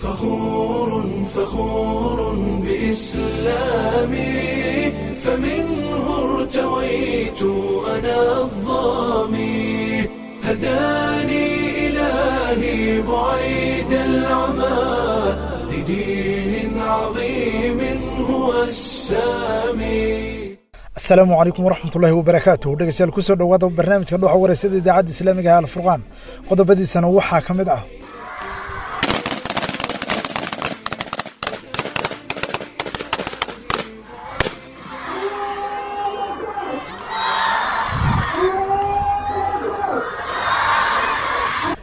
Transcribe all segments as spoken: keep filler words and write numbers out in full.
فخور فخور بإسلامي، فمنه ارتويت أنا الظامي، هداني إلهي بعيد العمى لدين عظيم هو السامي. Asalaamu calaykum waraxmatullaahi wabarakaatuh. Dhegeystayaal, kusoo dhowaada barnaamijka Dhuuxa Wareysada idaacadda islaamiga ah Alfurqaan. Qodobadiisana waxaa ka mid ah: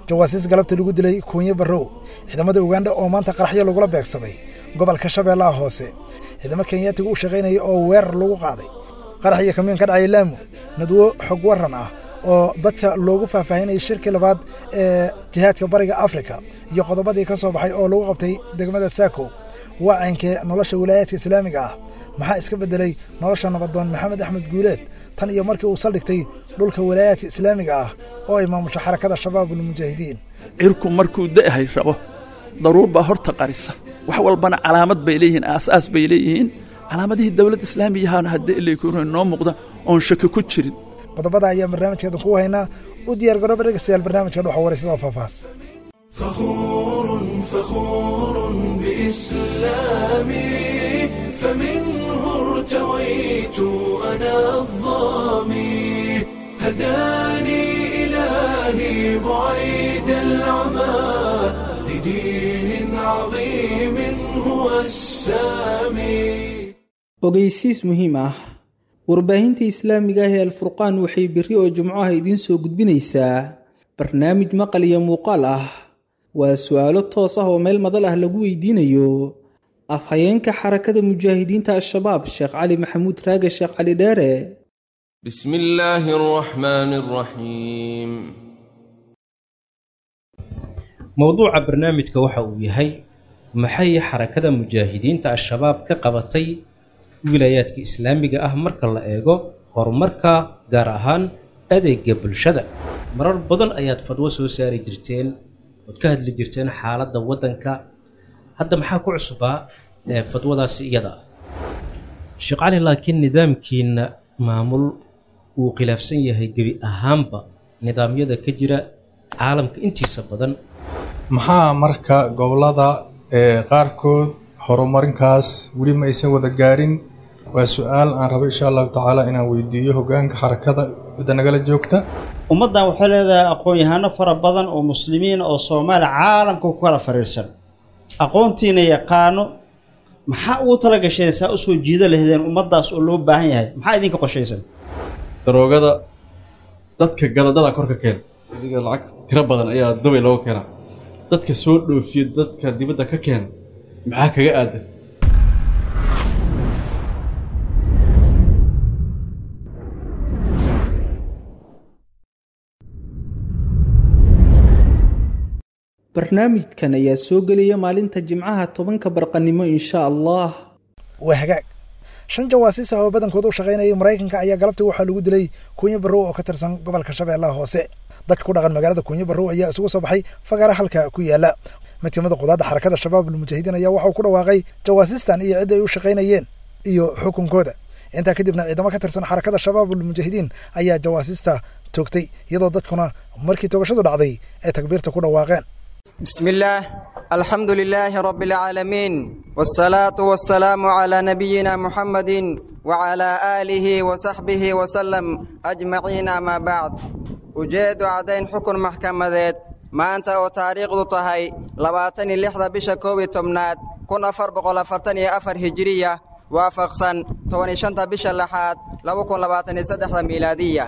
jawaasiis galabta lagu dilay Kuunye Barrow, ciidamada Uganda oo maanta qaraxyo lagula beegsaday gobolka Shabeellaha Hoose, ciidamo Kenyaatiga u shaqaynaya oo weerar lagu qaaday, qarax iyo kamiin ka dhacay Laamu, nadwo xog waran ah oo dadka loogu faahfaahinayay shirkii labaad ee jihaadka Bariga Afrika iyo qodobadii ka soo baxay oo lagu qabtay degmada Saako, wacankee nolosha wilaayaadka islaamiga ah, maxaa iska beddelay nolosha nabadoon Maxamed Axmed Guuleed tan iyo markii uu saldhigtay dhulka wilaayaadka islaamiga ah oo ay maamusho Xarakada Shabaabulmujaahidiin. Cirku markuu da'hay rabo, daruur baa horta qarisa. Wax walbana calaamad bay leeyihiin, aasaas bay leeyihiin. Calaamadihii dowladda islaamiyahaana haddii ilaykuuna noo muuqda oon shaki ku jirin. Qodobada ayaa barnaamijkeedan ku haynaa. U diyaar garooba dhegeystayaal barnaamijka Dhuuxa Wareysada oo faahfaahs. فخور فخور بإسلامي، فمنه ارتويت أنا الظامي، هداني إلهي بعيد العمى لدين عظيم هو السامي. Ogeysiis muhiim ah: warbaahinta islaamiga ah ee Alfurqaan waxay berri oo jumcaha idiin soo gudbinaysaa barnaamij maqal iyo muuqaal ah. Waa su'aalo toos ah oo meel madal ah lagu weydiinayo afhayeenka Xarakada Mujaahidiinta Al-Shabaab, Sheekh Cali Maxamuud Raage, Sheekh Cali Dheere. بسم الله الرحمن الرحيم. Mowduuca barnaamijka waxa uu yahay: maxay Xarakada Mujaahidiinta Al-Shabaab ka qabatay wilaayaadka islaamiga ah marka la eego horumarka, gaar ahaan adeega bulshada? Marar badan ayaad fadwo soo saari jirteen ood ka hadli jirteen xaaladda waddanka. Hadda maxaa ku cusbaa ee fadwadaasi iyada ah, Sheekh Cali? Laakiin nidaamkiina maamul uu khilaafsan yahay gebi ahaanba nidaamyada ka jira caalamka intiisa badan. Maxaa marka gobollada ee qaarkood horumarinkaas weli ma aysan wada gaarin? Waa su-aal aan rabo insha Allahu tacaala inaan weydiiyo hogaanka xarakada cidda nagala joogta. Ummaddan waxay leedahay aqoon-yahano fara badan oo muslimiin oo Soomaali caalamka ku kala fariirsan, aqoontiina yaqaano. Maxaa ugu tala gasheen saa usoo jiida lahdeen ummaddaas oo loo baahan yahay? Maxaa idinka qorshaysan? Daroogada dadka gadadada kor ka keena, adiga lacag tiro badan ayaa Dubay looga keenaa. Dadka soo dhoofiyo, dadka dibadda ka keena, maxaa kaga aadan? Barnaamijkan ayaa soo gelaya maalinta jimcaha tobanka barqanimo, insha Allah. Waa hagaag. Shan jawaasiis ah oo badankooda u shaqaynayay Maraykanka ayaa galabtii waxaa lagu dilay Kuunye Barrow oo ka tirsan gobolka Shabeellaha Hoose. Dadka ku dhaqan magaalada Kuunye Barrow ayaa isugu soo baxay fagaara halka ku yaala. Mid kamid a qudaadda Xarakada Shabaabulmujaahidiin ayaa waxauu ku dhawaaqay jawaasiistan iyo cidda ay u shaqaynayeen iyo xukunkooda. Intaa kadibna ciidamo ka tirsan Xarakada Shabaabulmujaahidiin ayaa jawaasiista toogtay, iyadoo dadkuna markii toogashadu dhacday ay takbiirta ku dhawaaqeen. بسم الله، الحمد لله رب العالمين، والصلاة والسلام على نبينا محمد وعلى آله وصحبه وسلم أجمعين، ما بعد. Ujeedu caddayn xukun maxkamadeed: maanta oo taariikhdu tahay labaatan iyo lixda bisha koob iyo tobnaad kun afar boqol afartan iyo afar hijiriya, waafaqsan toban iyo shanta bisha lixaad laba kun labaatan iyo saddexda miilaadiya,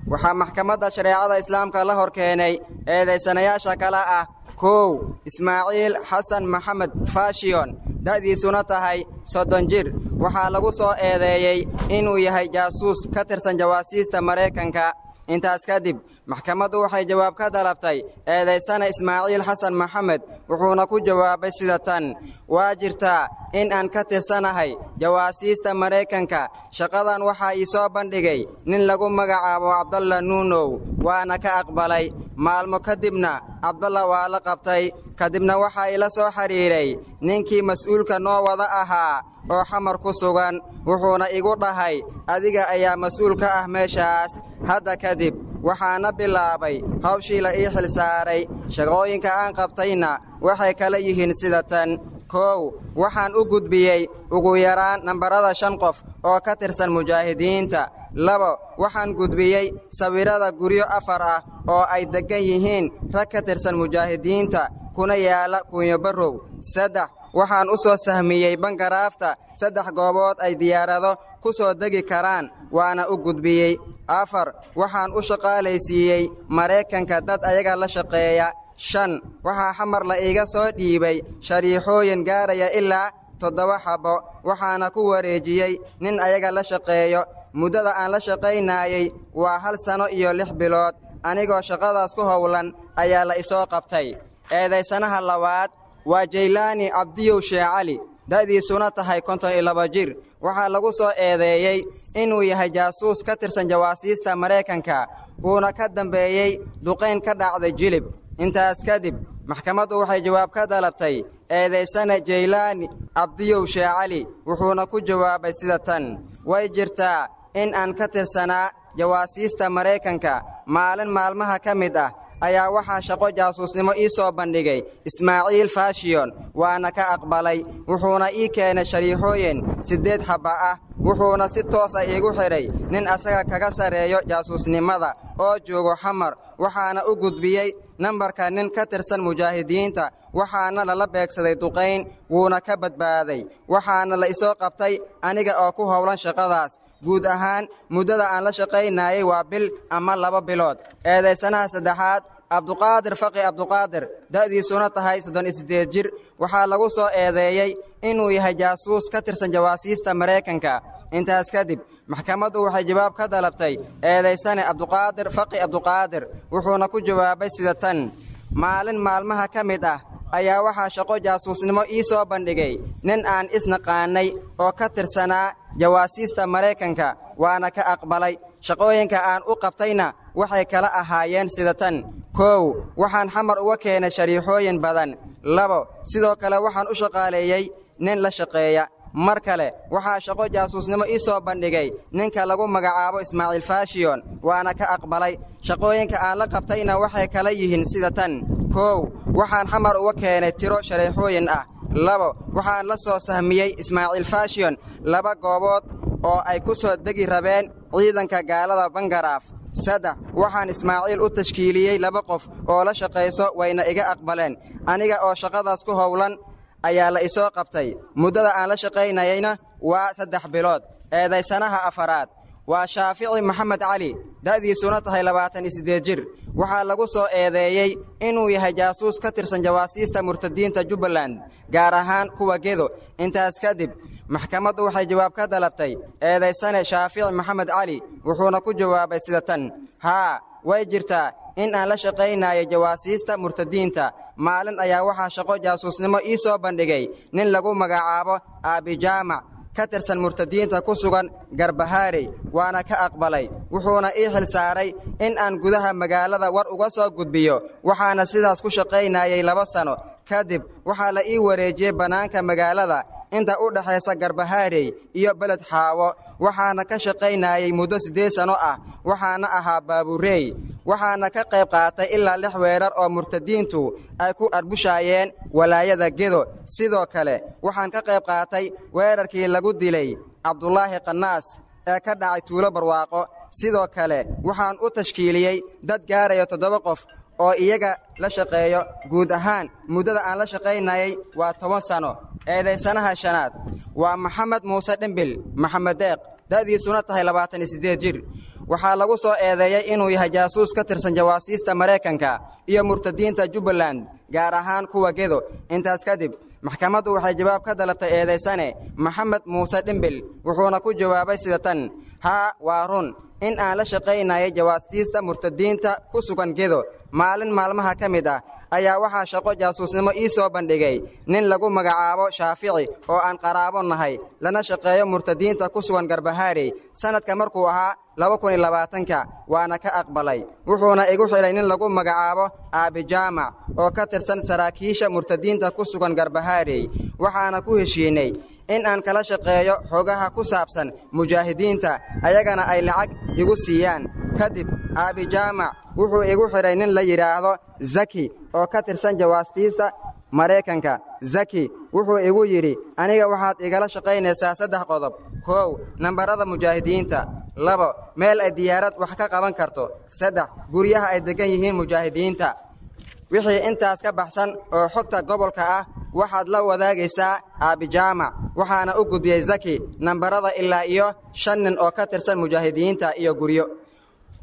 waxaa maxkamadda shareecada islaamka la hor keenay eedaysanayaasha kale ah: kow, Ismaaciil Xasan Maxamed Fashiyon, da'diisuna tahay soddon jir. Waxaa lagu soo eedeeyey inuu yahay jaasuus ka tirsan jawaasiista Maraykanka. Intaas kadib maxkamaddu waxay jawaab ka dalabtay eedaysana Ismaaciil Xasan Maxamed, wuxuuna ku jawaabay sida tan: waa jirtaa in aan ka tirsanahay jawaasiista Maraykanka. Shaqadan waxaa ii soo bandhigay nin lagu magacaabo Cabdalla Nuunow, waana ka aqbalay. Maalmo kadibna Cabdalla waa la qabtay. Kadibna waxaa ila soo xidhiidhay ninkii mas'uulka noo wada ahaa oo Xamar ku sugan, wuxuuna igu dhahay adiga ayaa mas'uul ka ah meeshaas hadda kadib. Waxaana bilaabay hawshii la ii xilsaaray. Shaqooyinka aan qabtayna waxay kala yihiin sida tan: kow, waxaan u gudbiyey ugu yaraan nambarada shan qof oo ka tirsan mujaahidiinta. Labo, waxaan gudbiyey sawirrada guryo afar ah oo ay deggan yihiin rag ka tirsan mujaahidiinta kuna yaala Kuunyo Barrow. Saddex, waxaan u soo sahmiyey bangaraafta saddex goobood ay diyaarado ku soo degi karaan, waana u gudbiyey. Afar, waxaan u shaqaalaysiiyey Maraykanka dad ayaga la shaqeeya. Shan, waxaa Xamar la iiga soo dhiibay shariixooyin gaaraya ilaa toddoba xabbo, waxaana ku wareejiyey nin ayaga la shaqeeyo. Muddada aan la shaqaynaayey waa hal sano iyo lix bilood. Anigoo shaqadaas ku howlan ayaa la isoo qabtay. Eedaysanaha labaad waa Jaylaani Cabdiyow Shee Cali, da'diisuna tahay konton iyo laba jir. Waxaa lagu soo eedeeyey inuu yahay jaasuus ka tirsan jawaasiista Maraykanka, uuna ka dambeeyey duqayn ka dhacday Jilib. Intaas kadib maxkamaddu waxay jawaab ka dalabtay eedaysane Jaylaani Cabdiyow Shee Cali, wuxuuna ku jawaabay sida tan: way jirtaa in aan ka tirsanaa jawaasiista Maraykanka. Maalin maalmaha ka mid ah ayaa waxaa shaqo jaasuusnimo ii soo bandhigay Ismaaciil Fashiyon, waana ka aqbalay. Wuxuuna ii keenay shariixooyin siddeed xabba ah, wuxuuna si toos ah iigu xidhay nin asaga kaga sarreeyo jaasuusnimada oo joogo Xamar. Waxaana u gudbiyey nambarka nin ka tirsan mujaahidiinta, waxaana lala beegsaday duqayn, wuuna ka badbaaday. Waxaana la isoo qabtay aniga oo ku howlan shaqadaas. Guud ahaan muddada aan la shaqaynayay waa bil ama laba bilood. Eedaysanaha saddexaad, Cabduqaadir Faqi Cabduqaadir, da'diisuna tahay soddon iyo siddeed jir. Waxaa lagu soo eedeeyey inuu yahay jaasuus ka tirsan jawaasiista Maraykanka. Intaas kadib maxkamaddu waxay jawaab ka dalabtay eedaysane Cabduqaadir Faqi Cabduqaadir, wuxuuna ku jawaabay sida tan: maalin maalmaha ka mid ah ayaa waxaa shaqo jaasuusnimo ii soo bandhigay nin aan isnaqaanay oo ka tirsanaa jawaasiista Maraykanka, waana ka aqbalay. Shaqooyinka aan u qabtayna waxay kala ahaayeen sida tan: kow, waxaan Xamar uga keenay shariixooyin badan. Labo, sidoo kale waxaan u shaqaaleeyey nin la shaqeeya. Mar kale waxaa shaqo jaasuusnimo ii soo bandhigay ninka lagu magacaabo Ismaaciil Fashiyon, waana ka aqbalay. Shaqooyinka aan la qabtayna waxay kala yihiin sida tan: kow, waxaan Xamar uga keenay tiro shareexooyin ah. Labo, waxaan la soo sahmiyey Ismaaciil Fashiyon laba goobood oo ay ku soo degi rabeen ciidanka gaalada Bangaraaf. Saddex, waxaan Ismaaciil u tashkiiliyey laba qof oo la shaqayso, wayna iga aqbaleen. Aniga oo shaqadaas ku howlan ayaa la isoo qabtay. Muddada aan la shaqaynayeyna waa saddex bilood. Eedaysanaha afaraad waa Shaafici Maxamed Cali, da'diisuna tahay labaatan iyo siddeed jir. Waxaa lagu soo eedeeyey inuu yahay jaasuus ka tirsan jawaasiista murtadiinta Jubbaland, gaar ahaan kuwa Gedo. Intaas kadib maxkamaddu waxay jawaab ka dalabtay eedaysane Shaafici Maxamed Cali, wuxuuna ku jawaabay sida tan: haa, way jirtaa in aan la shaqaynayo jawaasiista murtadiinta. Maalin ayaa waxaa shaqo jaasuusnimo ii soo bandhigay nin lagu magacaabo Aabijaamac ka tirsan murtadiinta ku sugan Garbahaarey, waana ka aqbalay. Wuxuuna ii xil saaray in aan gudaha magaalada war uga soo gudbiyo, waxaana sidaas ku shaqaynayay laba sano. Kadib waxaa la ii wareejiyey bannaanka magaalada inta u dhaxaysa Garbahaarey iyo Beled Xaawo, waxaana ka shaqaynayay muddo siddeed sano ah, waxaana ahaa baabureey. Waxaana ka qayb qaatay ilaa lix weerar oo murtadiintu ay ku arbushaayeen walaayada Gedo. Sidoo kale waxaan ka qayb qaatay weerarkii lagu dilay Cabdulaahi Qanaas ee ka dhacay Tuulo Barwaaqo. Sidoo kale waxaan u tashkiiliyey dad gaaraya toddoba qof oo iyaga la shaqeeyo. Guud ahaan muddada aan la shaqaynayay waa toban sano. Eedaysanaha shanaad waa Maxamed Muuse Dhimbil Maxamed Deeq, da'diisuna tahay labaatan iyo siddeed jir. Waxaa lagu soo eedeeyey inuu yahay jaasuus ka tirsan jawaasiista Maraykanka iyo murtadiinta Jubbaland, gaar ahaan kuwa Gedo. Intaas kadib maxkamaddu waxay jawaab ka dalabtay eedaysane Maxamed Muuse Dhimbil, wuxuuna ku jawaabay sida tan: haa, waa run in aan la shaqaynayay jawaastiista murtadiinta ku sugan Gedo. Maalin maalmaha ka mid ah ayaa waxaa shaqo jaasuusnimo ii soo bandhigay nin lagu magacaabo Shaafici oo aan qaraabo nahay lana shaqeeyo murtadiinta ku sugan Garbahaarey sanadka markuu ahaa laba kun iyo labaatanka waana ka aqbalay. Wuxuuna igu xidhay nin lagu magacaabo Aabi Jaamac oo ka tirsan saraakiisha murtadiinta ku sugan Garbahaarey, waxaana ku heshiinay in aan kala shaqeeyo xogaha ku saabsan mujaahidiinta, ayagana ay lacag igu siiyaan. Kadib Aabi Jaamac wuxuu igu xidhay nin la yidhaahdo Zaki oo ka tirsan jawaastiista Maraykanka. Zaki wuxuu igu yidhi, aniga waxaad igala shaqaynaysaa saddex qodob. Kow, nambarada mujaahidiinta. Labo, meel ay diyaarad wax ka qaban karto. Saddex, guryaha ay degan yihiin mujaahidiinta. Wixii intaas ka baxsan oo xogta gobolka ah waxaad la wadaagaysaa Aabi Jaamac. Waxaana u gudbiyey Zaki nambarada ilaa iyo shan nin oo ka tirsan mujaahidiinta iyo guryo.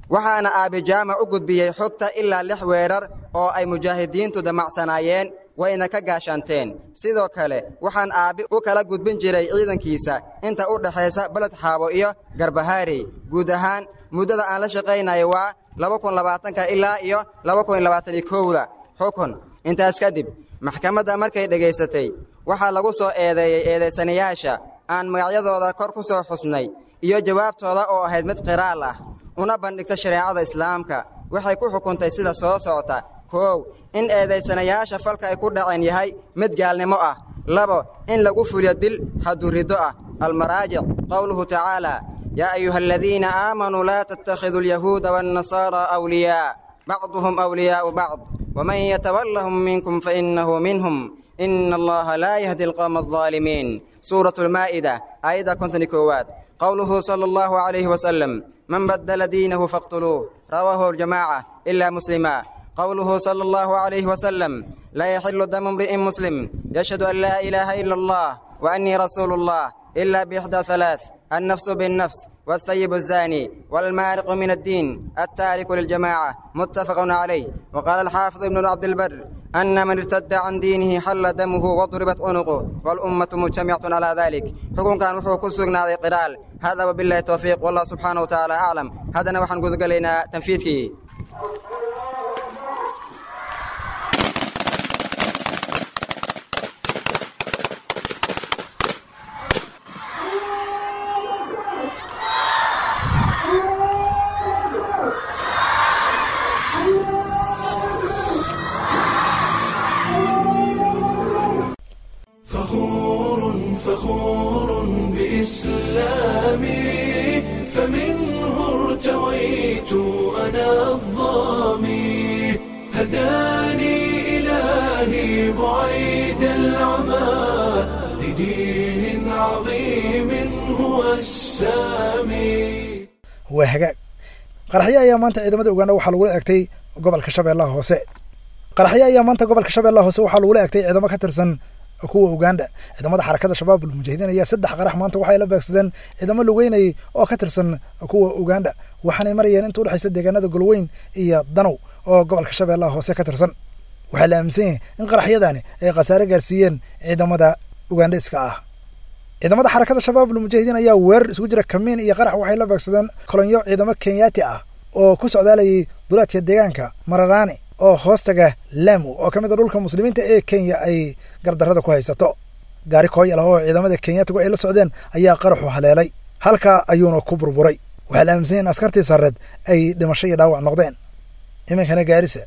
Waxaana Aabi Jaamac u gudbiyey xogta ilaa lix weerar oo ay mujaahidiintu damacsanaayeen, wayna ka gaashaanteen. Sidoo kale waxaan aabbi u kala gudbin jiray ciidankiisa inta u dhaxaysa Baled Xaabo iyo Garbahaarey. Guud ahaan muddada aan la shaqaynayo waa laba kun labaatanka ilaa iyo laba kun labaatan iyo kowda. Xukun. Intaas kadib maxkamadda markay dhegaysatay waxaa lagu soo eedeeyey eedaysanayaasha aan magacyadooda kor ku soo xusnay iyo jawaabtooda oo ahayd mid qiraal ah, una bandhigta shareecada islaamka. Waxay ku xukuntay sida soo socota. Kow, in eedaysanayaasha falka ay ku dhaceen yahay mid gaalnimo ah. Labo, in lagu fuliyo dil xadduriddo ah. Almaraajic, qowluhu tacaala, yaa ayuha aladiina aamanuu laa tattakhiduu alyahuuda waannasaara awliyaa bacduhum awliyaa'u bacd waman yatawallahum minkum fainnahu minhum ina allaha laa yahdi alqawma aldaalimiin. Suuratu almaa'ida, aayadda konton iyo koowaad. Qowluhu sala allahu calayhi wasalam, man baddala diinahu faqtuluuh. Rawaahu aljamaaca ilaa muslima. قوله صلى الله عليه وسلم، لا يحل دم امرئ مسلم يشهد أن لا إله إلا الله وأني رسول الله إلا بإحدى ثلاث: النفس بالنفس، والثيب الزاني، والمارق من الدين التارك للجماعة. متفق عليه. وقال الحافظ ابن عبد البر أن من ارتد عن دينه حل دمه وضربت عنقه، والأمة مجتمعة على ذلك. حكم كان وحو كسرنا قرال هذا، وبالله التوفيق، والله سبحانه وتعالى أعلم. هذا نوحا قد قلنا تنفيذه. فخور فخور بإسلامي، فمنه ارتويت أنا الظامي، هداني إلهي بعيد العمى لدين عظيم هو السامي. Waa hagaag. Qaraxyo ayaa maanta ciidamada Uganda waxaa lagula eegtay gobolka Shabeellaha Hoose. Qaraxyo ayaa maanta gobolka Shabeellaha Hoose waxaa lagula eegtay ciidamo ka tirsan kuwa Uganda. Ciidamada xarakada Shabaabul Mujaahidiin ayaa saddex qarax maanta waxay la beegsadeen ciidamo lugeynayay oo ka tirsan kuwa Uganda, waxaanay marayeen inta u dhexaysa deegaanada Golweyn iyo Danow oo gobolka Shabeellaha Hoose ka tirsan. Waxaa la aaminsan yahay in qaraxyadani ay khasaare gaarsiiyeen ciidamada Ugandaiska ah. Ciidamada xarakada Shabaabul Mujaahidiin ayaa weerar isugu jira kamiin iyo qarax waxay la beegsadeen kolonyo ciidamo Kenyaati ah oo ku socdaalayay duleedka deegaanka Mararani oo hoostaga Lamu oo ka mid ah dhulka muslimiinta ee Kenya ay gardarrada ku haysato. Gaari kooyal ah oo ciidamada Kenyaatigu ay la socdeen ayaa qaraxu haleelay, halkaa ayuuna ku burburay. Waxaa la aaminsan yahay in askartii sarreed ay dhimasho iyo dhaawac noqdeen. Iminkana Gaarisa,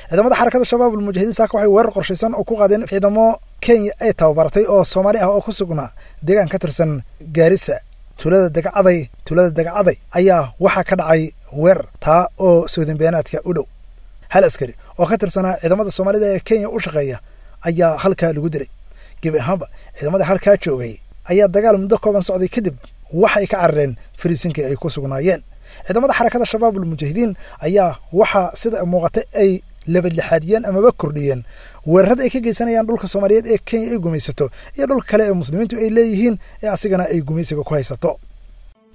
ciidamada xarakada Shabaabul Mujaahidiin saaka waxay weerar qorshaysan oo ku qaadeen ciidamo Kenya ay tababaratay oo Soomaali ah oo ku sugnaa deegaan ka tirsan Gaarisa. Tuulada Dagcaday tuulada Dagcaday ayaa waxaa ka dhacay weerar taa oo soodin beenaadka u dhow. Hal askari oo ka tirsanaa ciidamada Soomaalida ee Kenya u shaqeeya ayaa halkaa lagu dilay. Gebi ahaanba ciidamada halkaa joogay ayaa dagaal muddo kooban socday kadib waxay ka carareen fariisinkii ay ku sugnaayeen. Ciidamada xarakada Shabaabul Mujaahidiin ayaa waxaa sida muuqata ay labadlixaadiyeen amaba kordhiyeen weerarada ay ka geysanayaan dhulka Soomaaliyeed ee Kenya ay gumaysato iyo dhulka kale ee muslimiintu ay leeyihiin ee asigana ay gumaysiga ku haysato.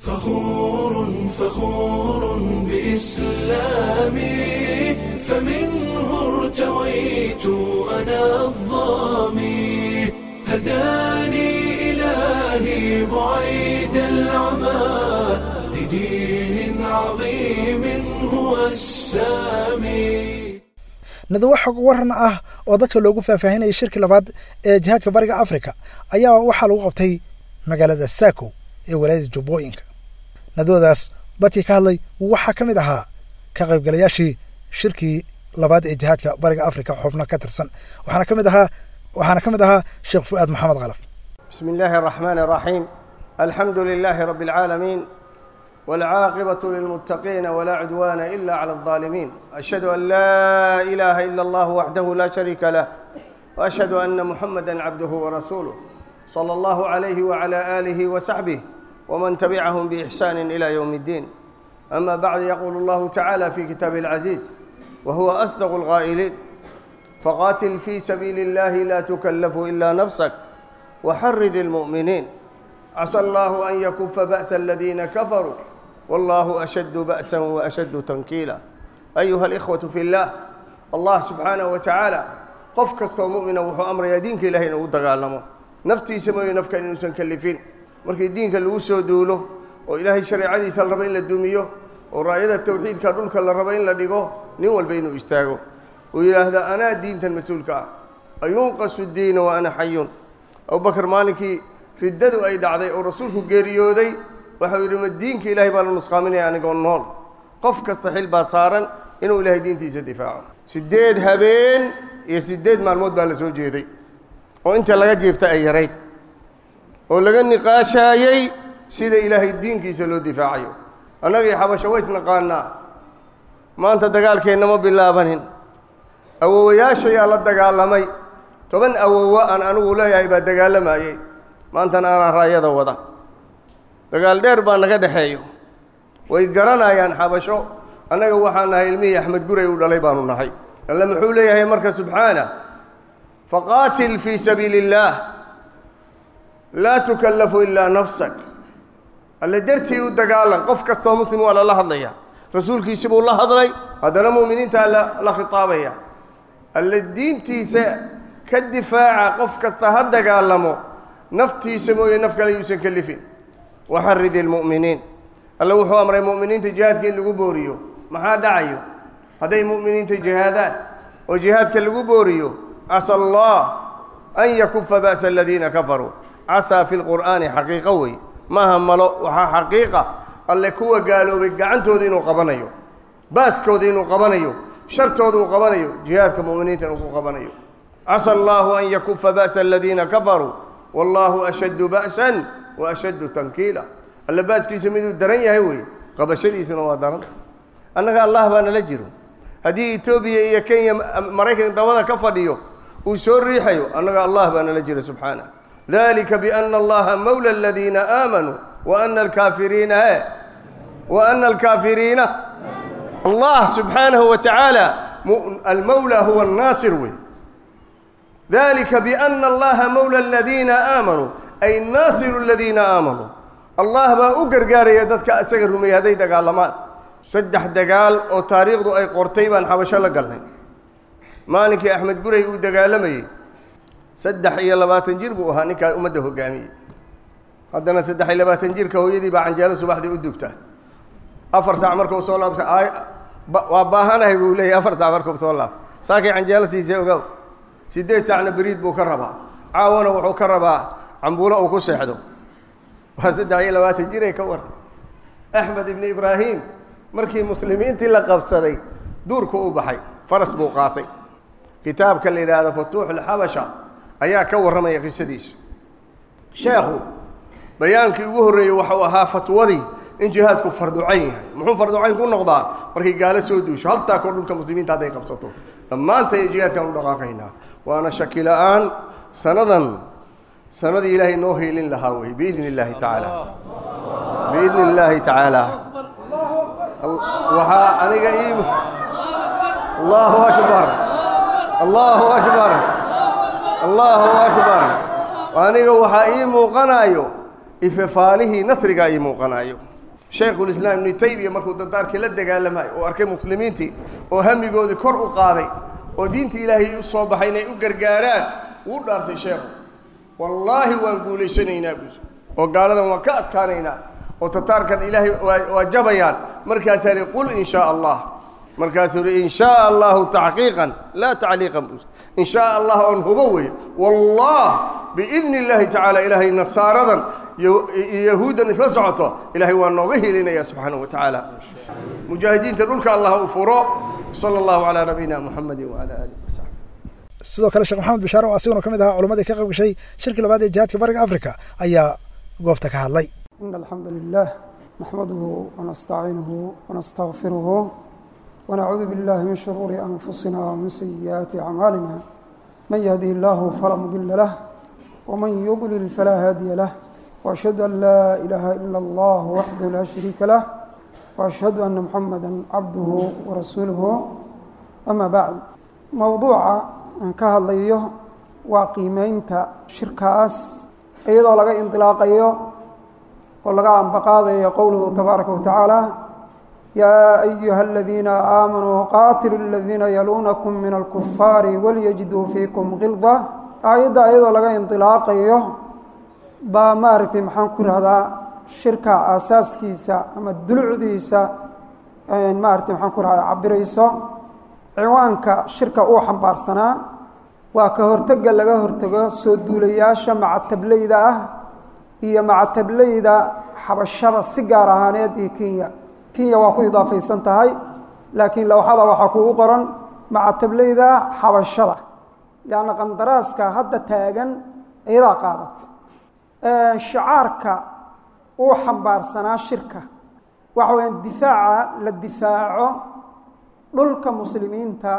فخور فخور بإسلامي، فمنه ارتويت أنا الظامي، هداني إلهي بعيد العمى لدين عظيم هو السامي. Nadwo xog waran ah oo dadka loogu faahfaahinayay shirkii labaad ee jihaadka Bariga Afrika ayaa waxaa lagu qabtay magaalada Saako ee walaayada Jubbooyinka. Nadwadaas dadkii ka hadlay waxaa ka mid ahaa ka qaybgalayaashii shirkii labaad ee jihaadka Bariga Afrika xubno ka tirsan, waxaana ka mid ahaa waxaana ka mid ahaa Sheekh Fu'aad Maxamed Khalaf. بسم الله الرحمن الرحيم. الحمد لله رب العالمين، والعاقبة للمتقين، ولا عدوان إلا على الظالمين. أشهد أن لا إله إلا الله وحده لا شريك له، وأشهد أن محمدا عبده ورسوله صلى الله عليه وعلى آله وصحبه ومن تبعهم بإحسان إلى يوم الدين. أما بعد، يقول الله تعالى في كتابه العزيز وهو أصدق القائلين: فقاتل في سبيل الله لا تكلف إلا نفسك وحرض المؤمنين، عسى الله أن يكف بأس الذين كفروا والله أشد بأسا وأشد تنكيلا. أيها الإخوة في الله، الله سبحانه وتعالى qof kastoo mu'mina wuxuu amrayaa diinka Ilaahay inuu u dagaalamo, naftiisa mooye nafka inuusan kallifin. Markii diinka lagu soo duulo oo Ilaahay shareecadiisa la rabo in la dumiyo oo raayada tawxiidka dhulka la rabo in la dhigo, nin walba inuu istaago uu yidhaahdo anaa diintan mas-uulka ah. Ayunqasu diina wa ana xayun. Abubakar maalinkii riddadu ay dhacday oo rasuulku geeriyooday waxau yidhi: ma diinka Ilaahay baa la nusqaaminaya anigoo nool? Qof kasta xil baa saaran inuu Ilaahay diintiisa difaaco. Siddeed habeen iyo siddeed maalmood baa la soo jeeday oo inta laga jiifta ay yarayd oo laga niqaashaayey sida Ilaahay diinkiisa loo difaacayo. Annagii xabasho ways naqaanaa, maanta dagaalkeenna ma bilaabanin. Awowayaashayaa la dagaalamay, toban awowa aan anigu leeyahay baa dagaalamayey, maantana anaa raayada wada. Dagaal dheer baa naga dhexeeyo, way garanayaan xabasho. Annaga waxaan nahay ilmihii Axmed Guray uu dhalay baanu nahay. Alle muxuu leeyahay marka subxaana: faqaatil fii sabiili illaah laa tukallafu ilaa nafsak. Alle dartii u dagaalan. Qof kastoo muslim waa lala hadlaya, rasuulkiisi buu la hadlay, haddana mu'miniintaa la la khitaabaya. Alle diintiisa ka difaaca, qof kasta ha dagaalamo, naftiisa mooye naf kale yuusan kalifin. Waxaridi almu'miniin. Alle wuxuu amray mu'miniinta jihaadka in lagu booriyo. Maxaa dhacayo hadday mu'miniinta jihaadaan oo jihaadka lagu booriyo? Casa allah an yakufa ba'sa aladiina kafaruu. Casaa fi lqur'aani xaqiiqo wey, maaha malo. Waxaa xaqiiqa alle kuwa gaaloobay gacantooda inuu qabanayo, baaskooda inuu qabanayo, shartooda uu qabanayo, jihaadka mu'miniinta inuu ku qabanayo. Casa allahu an yakufa ba'sa aladiina kafaruu wallahu ashaddu ba'san wa ashaddu tankiila. Alle baaskiisa miduu daran yahay wey, qabashadiisuna waa daranta. Annaga Allah baa nala jiro. Haddii Etoobiya iyo Kenya, Maraykan dabada ka fadhiyo uu soo riixayo, annaga Allah baa nala jira subxaanah. Dalika biana Allaha mawla aladiina aamanuu wa ana alkaafiriina he wa ana alkaafiriina. Allah subxaanahu wa tacaala almawla huwa annaasir wey. Dalika biana Allaha mawla aladiina aamanuu ay naasiru aladiina aamanuu. Allah baa u gargaaraya dadka isaga rumeeyey hadday dagaalamaan. Saddex dagaal oo taariikhdu ay qortay baan xabasho la galnay. Maalinkii Axmed Guray uu dagaalamayey saddex iyo labaatan jir buu ahaa ninkaa ummadda hoggaamiyey. Haddana saddex iyo labaatan jirka hooyadii baa canjeelo subaxdii u dubta. Afar saac markuu soo laabta waa baahanahay buu leeyahy. Afar saac markuu soo laabta saakay canjeelo siisay ogow. Siddeed saacna beriid buu ka rabaa, caawana wuxuu ka rabaa cambuulo uu ku seexdo. Waa saddex iyo labaatan jiray ka war. Axmed ibni Ibraahim markii muslimiintii la qabsaday duurku u baxay, faras buu qaatay. Kitaabka la yidhaahdo Futuuxulxabasha ayaa ka warramaya qisadiisa. Sheekhu bayaankii ugu horreeyey waxau ahaa fatwadii in jihaadku farducayn yahay. Muxuu farducayn ku noqdaa? Markay gaalo soo duusho haltaa kor dhulka muslimiinta hadday qabsato, dhammaantay jihaadkaan u dhaqaaqaynaa. Waana shaki la'aan sanadan sanadii Ilaahay noo hiilin lahaa wey, biidni illaahi tacaala, biidni illaahi tacaala. Waxaa aniga ii Allahu akbar, Allahu akbar, Allahu akbar. Aniga waxaa ii muuqanayo ifafaalihii nasrigaa ii muuqanayo. Shaykhulislaam Ibnu Taymiya markuu dardaarkii la dagaalamayo oo arkay muslimiintii oo hamigoodii kor u qaaday oo diintii Ilaahay u soo baxay inay u gargaaraan, wuu dhaartay sheekhu: wallaahi waan guulaysanaynaa buuri, oo gaaladan waan ka adkaanaynaa, oo tataarkan Ilaahay waa waa jabayaan. Markaasaa lihi: qul in shaa Allah. Markaasuu yidhi in shaa Allahu taxqiiqan laa tacliiqan buu in shaa Allah oon hubo weeye wallah biidni illaahi tacaala ilaahay nasaaradan iyo yahuuddan isla socoto ilaahay waa nooga hilinaya subxaanahu wa tacaala. Mujaahidiinta dhulka Allah u furo. Sala allahu calaa nabiyina Muxamedin wacala aalihi wasaxbi. Sidoo kale Sheekh Maxamed Bishaar oo asiguna ka mid ahaa culammadii ka qayb gashay shirkii labaad ee jihaadka Bariga Afrika ayaa goobta ka hadlay. إن الحمد لله نحمده ونستعينه ونستغفره ونعوذ بالله من شرور أنفسنا ومن سيئات أعمالنا، من يهده الله فلا مضل له ومن يضلل فلا هادي له، وأشهد أن لا إله إلا الله وحده لا شريك له، وأشهد أن محمدا عبده ورسوله. أما بعد، موضوع aan ka hadlayo waa qiimeynta shirkaas iyadoo laga indilaaqayo oo laga ambaqaadayo qowluhu tabaaraka wa tacaala: yaa ayuha aladiina aamanuu qaatiluu aladiina yaluunakum min alkufaari walyajiduu fiikum gilda. Aayadda iyadoo laga indilaaqayo baa maaragtay maxaan ku rahdaa shirka aasaaskiisa ama dulucdiisa maaragtay maxaan ku rahdaa cabirayso. Ciwaanka shirka uu xambaarsanaa waa ka hortega laga hortago soo duulayaasha macatablayda ah iyo macatablayda xabashada si gaar ahaaneed iyo Kenya. Kenya waa ku idaafaysan tahay, laakiin lowxada waxaa kugu qoran macatablayda xabashada, lianna qandaraaska hadda taagan iyadaa qaadat. Shicaarka uu xambaarsanaa shirka waxa weyaan difaaca la difaaco dhulka muslimiinta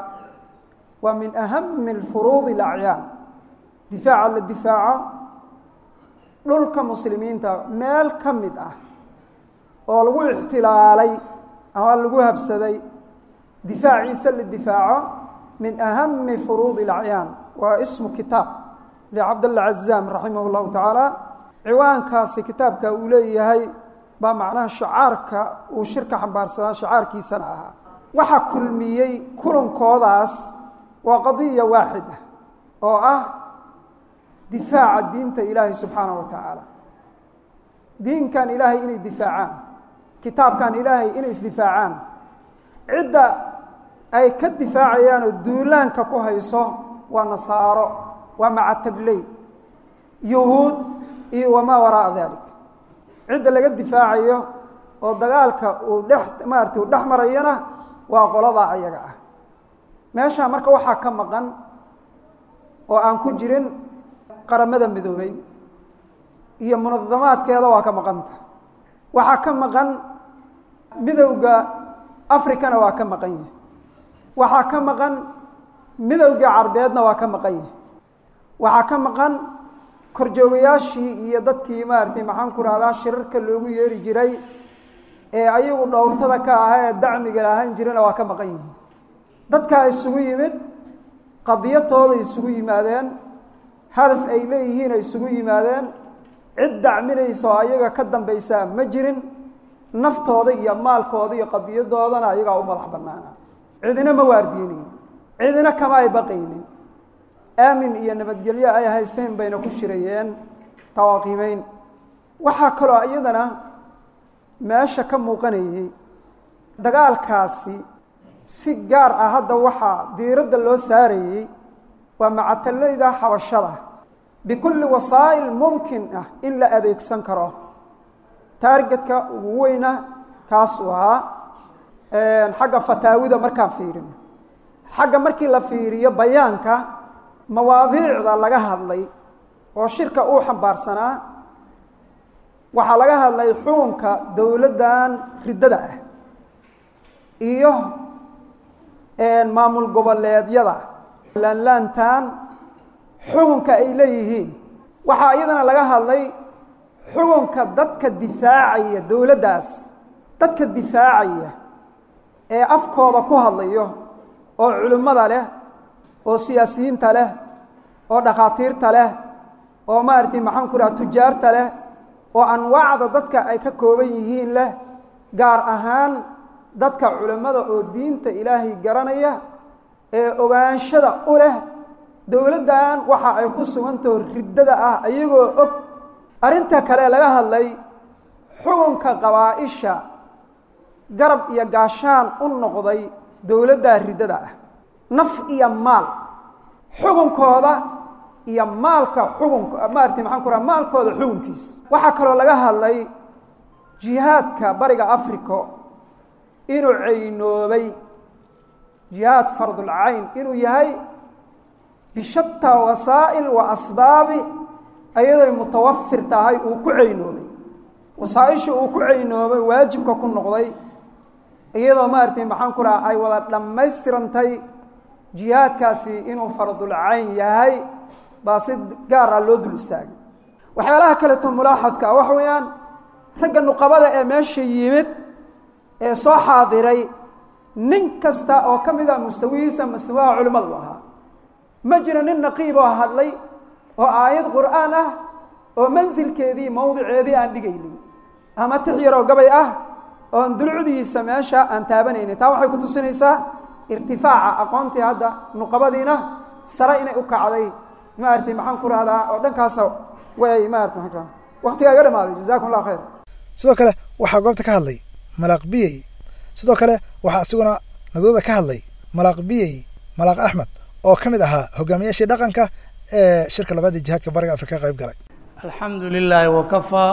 waa min ahami alfuruudi alacyaan. Difaaca la difaaco dhulka muslimiinta meel ka mid ah oo lagu ixtilaalay ama lagu habsaday difaaciisa la difaaco min ahami furuudi alacyaan. Waa ismu kitaab licabdalla Cazaam raximah llahu tacaala. Ciwaankaasi kitaabka uu leeyahay baa macnaha shicaarka uu shirka xambaarsanaa shicaarkiisana ahaa. Waxaa kulmiyey kulankoodaas waa qadiya waaxid ah oo ah difaaca diinta Ilaahay subxaanahu wa tacaala, diinkan Ilaahay inay difaacaan, kitaabkan Ilaahay inay isdifaacaan. Cidda ay ka difaacayaan oo duulaanka ku hayso waa nasaaro, waa macatabley, yuhuud iyo wamaa wara'a dalik. Cidda laga difaacayo oo dagaalka uu dhex maaragtay uu dhex marayana waa qoladaa ayaga ah. Meeshaa marka waxaa ka maqan oo aan ku jirin Qaramada Midoobay iyo munadamaadkeeda waa ka maqanta. Waxaa ka maqan Midowda Africana waa ka maqan yahay. Waxaa ka maqan Midowga Carbeedna waa ka maqan yahay. Waxaa ka maqan korjoogayaashii iyo dadkii maaragtay maxaan ku rahdaa shirarka loogu yeeri jiray ee ayagu dhowrtada ka ahaa ee dacmiga lahaan jirana waa ka maqan yihiin. Dadkaa isugu yimid qadiyatooda isugu yimaadeen, hadaf ay leeyihiin ay isugu yimaadeen, cid dacminaysa oo ayaga ka dambaysaa ma jirin. Naftooda iyo maalkooda iyo qadiyadoodana ayagaa u madax bannaana, cidina ma waardiinaynin, cidina kama ay baqaynin. Aamin iyo nabadgelyo ay haysteen bayna ku shirayeen tawaaqiimeyn. Waxaa kaloo iyadana meesha ka muuqanayay dagaalkaasi si gaar ah hadda waxaa diiradda loo saarayey waa macatalayda xabashada bikulli wasaa'il mumkin ah in la adeegsan karo. Taargetka ugu weyna kaasuu ahaa. Xagga fataawida markaan fiirino, xagga markii la fiiriyo bayaanka mawaadiicda laga hadlay oo shirka uu xambaarsanaa waxaa laga hadlay xukunka dowladdan riddada ah iyo maamul goboleedyada laanlaantan xukunka ay leeyihiin. Waxaa iyadana laga hadlay xukunka dadka difaacaya dowladdaas, dadka difaacaya ee afkooda ku hadlayo oo culimmada leh oo siyaasiyiinta leh oo dhakhaatiirta leh oo maaragtay maxaan ku dhaha tujaarta leh oo anwaacda dadka ay ka kooban yihiin leh, gaar ahaan dadka culimmada oo diinta Ilaahay garanaya ee ogaanshada u leh dowladdan waxa ay ku sugantaho riddada ah ayagoo og. Arrinta kale laga hadlay xukunka qabaa-isha garab iyo gaashaan u noqday Dowladda riddada ah naf iyo maal xukunkooda iyo maalka xukunka maaragtay maxaan ku raha maalkooda xukunkiisa. Waxaa kaloo laga hadlay jihaadka bariga Africa inuu caynoobay jihaad fardul cayn inuu yahay bishatta wasaa'il wa asbaabi ayadoy mutawafir tahay uu ku caynoobay wasaa'isha uu ku caynoobay waajibka ku noqday iyadoo maaragtay maxaan ku raha ay wada dhammaystirantay jihaadkaasi inuu fardul cayn yahay baa si gaar ah loo dul istaagay. Waxyaalaha kaleeto mulaaxadka ah waxa weeyaan ragga nuqabada ee meesha yimid ee soo xaadiray nin kasta oo ka mid ah mustawihiisa mustawaha culimmadu ahaa. Ma jiro nin naqiib oo hadlay oo aayad qur'aan ah oo mansilkeedii mawdiceedii aan dhigaynin ama tix yaroo gabay ah oon dulcudiisa meesha aan taabanaynin. Taa waxay ku tusinaysaa irtifaaca aqoontii hadda nuqabadiina sare inay u kacday maaragtay maxaan ku rahdaa oo dhankaasna way maaragtay maxaan ku rahdaa waqtigaa iga dhamaaday. Jazaakum allahu khayr. Sidoo kale waxaa goobta ka hadlay Malaaq Biyey. Sidoo kale waxaa isaguna nadooda ka hadlay Malaaq Biyey Malaaq Axmed oo ka mid ahaa hogaamiyaashii dhaqanka ee shirka labaad ee jihaadka bariga Afrika ka qayb galay. Alxamdu lilaahi wakafaa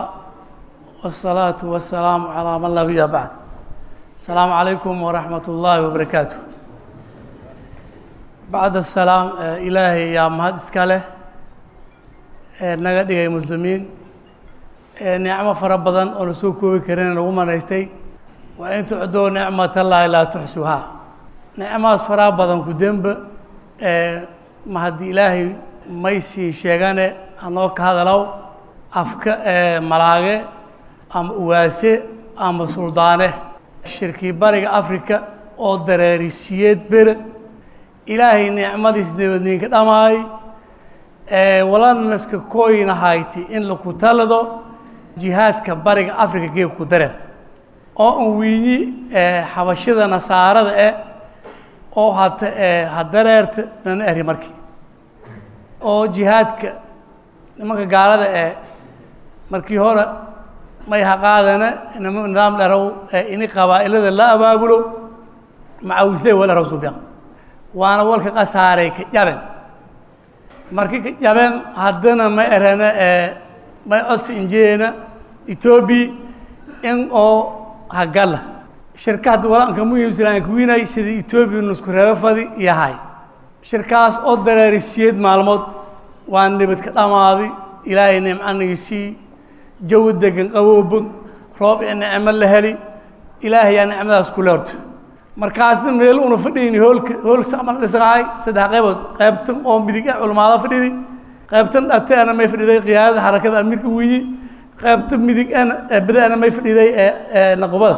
wasalaatu wasalaamu calaa man laa nabiya bacd. Asalaamu calaykum waraxmat ullaahi wabarakaatu. Bacd asalaam, Ilaahay yaa mahad iska leh ee naga dhigay muslimiin ee nicmo fara badan oo la soo koobi karin lagu manaystay. Wa in tucduu nicmatallaahi laa tuxsuhaa. Nicmahaas faraha badan ku demba ee mahadi Ilaahay may sii sheegane anoo ka hadalow afka ee malaage ama uwaase ama suldaane shirkii bariga Afrika oo dareerisiyeed bere Ilaahay nicmadiis nabadniinka dhamaay ee walaalnaska kooyina hayti in lagu talado jihaadka bariga Afrika geeb ku dareer oo an wiinyi ee xabashida nasaarada eh oo hata ee hadareerta nana eri markii oo jihaadka nimanka gaalada ee markii hore may haqaadana nidaam dharow ee ini qabaa'ilada la abaabulo macawisley wala rasuubiya waana walka qasaaray ka jabeen markii ka jabeen haddana may erana ee may codsi injeena Etoobiya in oo hagala shirkadda walaanka muhiimsan aan ku wiinay sidii Etoobiya nusku reebo fadi yahay shirkaas oo dareerisiyeed maalmood waa nabad ka dhamaaday. Ilaahay nimcaniisii jawi degan qaboob roob iyo nicmo la heli Ilaahay yaa nicmadaas ku leerto. Markaasna meel una fadhiyni hoolka hool samal dhisay saddex qaybood qaybtan oo midig ah culimada fadhiyay qaybtan dhateena may fadhiday qiyaadada xarakada amiirka wiyi qaybta midig ana badaana may fadhiday ee naqbada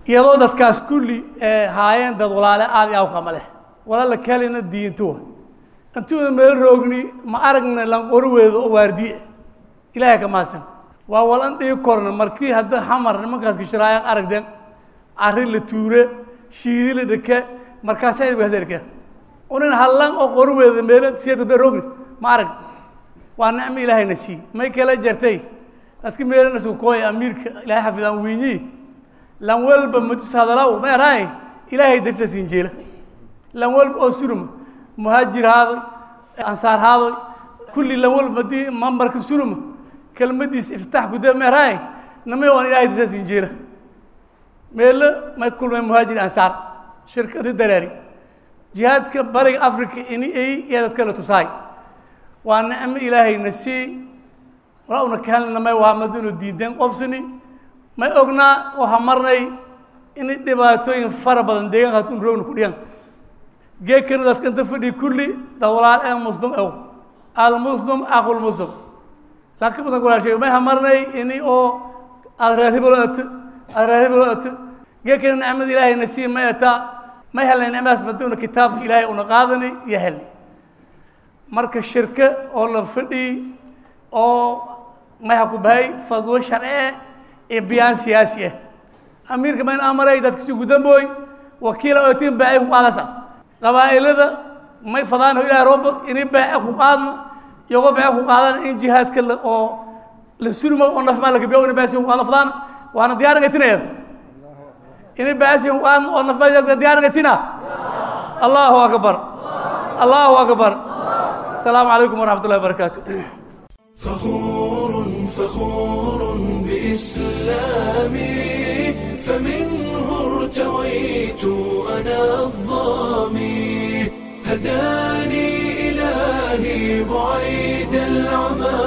iyadoo dadkaas kulli ee haayeen dad walaale aad iyo kama leh walaal kalena diintu intuu meel roogni ma aragna lan qorweedo oo waardiye Ilaahay ka maasan waa walan dhig korna markii hadda xamar nimankaas gishraaya aragdeen arrin la tuure shiidi la dhake markaas ay wadaarka unin hallan oo qorweedo meel siyeed be roogni ma arag waa nicmo Ilaahay nasi may kala jartay dadka meelna soo kooy amiirka Ilaahay xafidaan wiini lan walba mudus hadalaw ma raay Ilaahay darsa siinjeela lan walba oo surum muhaajir haado ansaar haado kulli lan walba di mambarka surum kelmadiis iftaax gudaa ma raay namay waan Ilaahay darsa siinjeela meel ma kulmay muhaajir ansaar shirkada dareeri jihaadka bariga Afrika in ay dadka la tusaay waa nicmo Ilaahay nasi walauna kaalna may waa madinu diidan qobsani may ognaa waxa marnay in dhibaatooyin fara badan deegaanka tun roogna ku dhiyan geekana dadka inta fadhi kulli dawlaal ee muslim oo al muslim aqul muslim laakiin badan kula sheegay may hamarnay in oo aad aad geekana nicmada Ilaahay nasi may ata may helnay nicmadaas maduna kitaabka Ilaahay una qaadanay iyo helnay marka shirka oo la fadhi oo may ha ku bahay fadwo sharci ee biyaan siyaasi ah amiirka ma in amaray dadka si gudambooy wakiil oo tiin baa ku qaadasa qabaa'ilada may fadaan Ilaahay roob inay baa ku qaadna iyago baa ku qaadan in jihaadka oo la surmo oo naf ma la gabiyo in baa si ku qaadna fadaan waana diyaar gatinaya Ini baashin waan oo nafbayda diyaargatina. Allahu akbar, Allahu akbar. Asalaamu calaykum waraxmatullahi wabarakaatu. فخور فخور بإسلامي، فمنه ارتويت أنا الظامي، هداني إلهي بعيد العمى،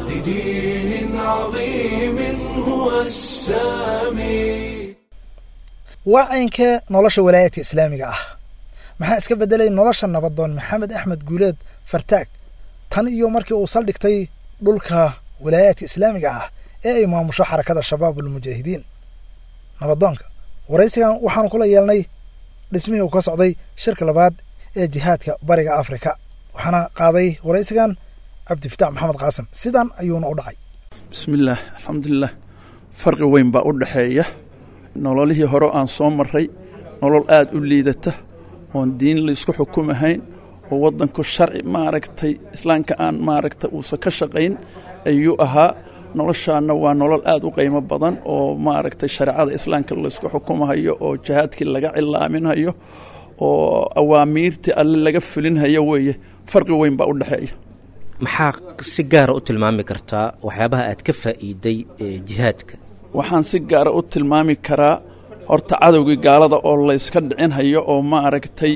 لدين عظيم هو السامي. Waa caynkee nolosha walaayadka islaamiga ah? Maxaa iska beddelay nolosha nabadoon Maxamed Axmed Guuleed Fartaag tan iyo markii uu saldhigtay dhulka walaayaadka islaamiga ah ee ay maamusho xarakada Shabaabulmujaahidiin? Nabadoonka waraysigan waxaanu kula yeelnay dhismihii uu ka socday shirka labaad ee jihaadka Bariga Afrika, waxaana qaaday waraysigan Cabdifitaax Maxamed Qaasim. Sidan ayuuna u dhacay. Bismillaah, alxamdulilah. Farqi weyn baa u dhexeeya nololihii hore aan soo marray, nolol aad u liidata oon diin laysku xukumahayn oo waddanku sharci maaragtay islaamka aan maaragtay uusan ka shaqayn ayuu ahaa. Noloshaana waa nolol aad u qiimo badan oo maaragtay shareecada islaamka laysku xukumahayo oo jihaadkii laga cilaaminhayo oo awaamiirtii alle laga fulinhayo weeye. Farqi weyn baa u dhexeeya. Maxaa si gaara u tilmaami kartaa waxyaabaha aad ka faa'iiday ee jihaadka? Waxaan si gaara u tilmaami karaa horta cadowgii gaalada oo layska dhicinhayo oo maaragtay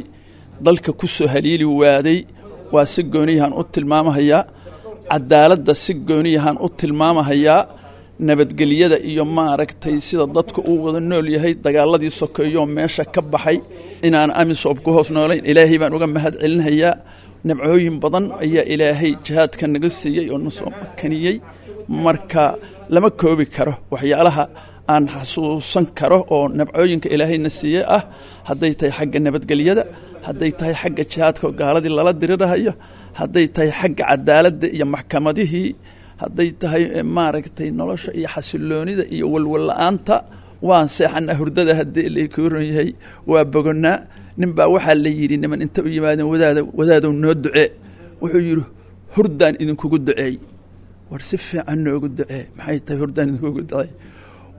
dalka ku soo haliili waaday, waa si gooniyahan u tilmaamahayaa. Cadaaladda si gooniyahan u tilmaamahayaa. Nabadgelyada iyo maaragtay sida dadku uu wada nool yahay, dagaaladii sokeeyoo meesha ka baxay, inaan amisob ku hoos noolayn ilaahay baan uga mahad celinhayaa. Nabcooyin badan ayaa ilaahay jihaadka naga siiyey oo na soo makaniyey. Marka lama koobi karo waxyaalaha aan xasuusan karo oo nabcooyinka ilaahayna siiyey ah, hadday tahay xagga nabadgelyada, hadday tahay xagga jihaadka oo gaaladii lala dirirahayo, hadday tahay xagga cadaaladda iyo maxkamadihii, hadday tahay maaragtay nolosha iyo xasiloonida iyo walwal la'aanta. Waan seexanaa hurdada haddii lakuran yahay, waa bogonnaa. Nin baa waxaa la yidhi niman inta u yimaadeen, wadaada wadaadow noo ducee. Wuxuu yidhi, hurdaan idinkugu duceey. War si fiican noogu ducee, maxay tahay hurdaan idinkugu duceey?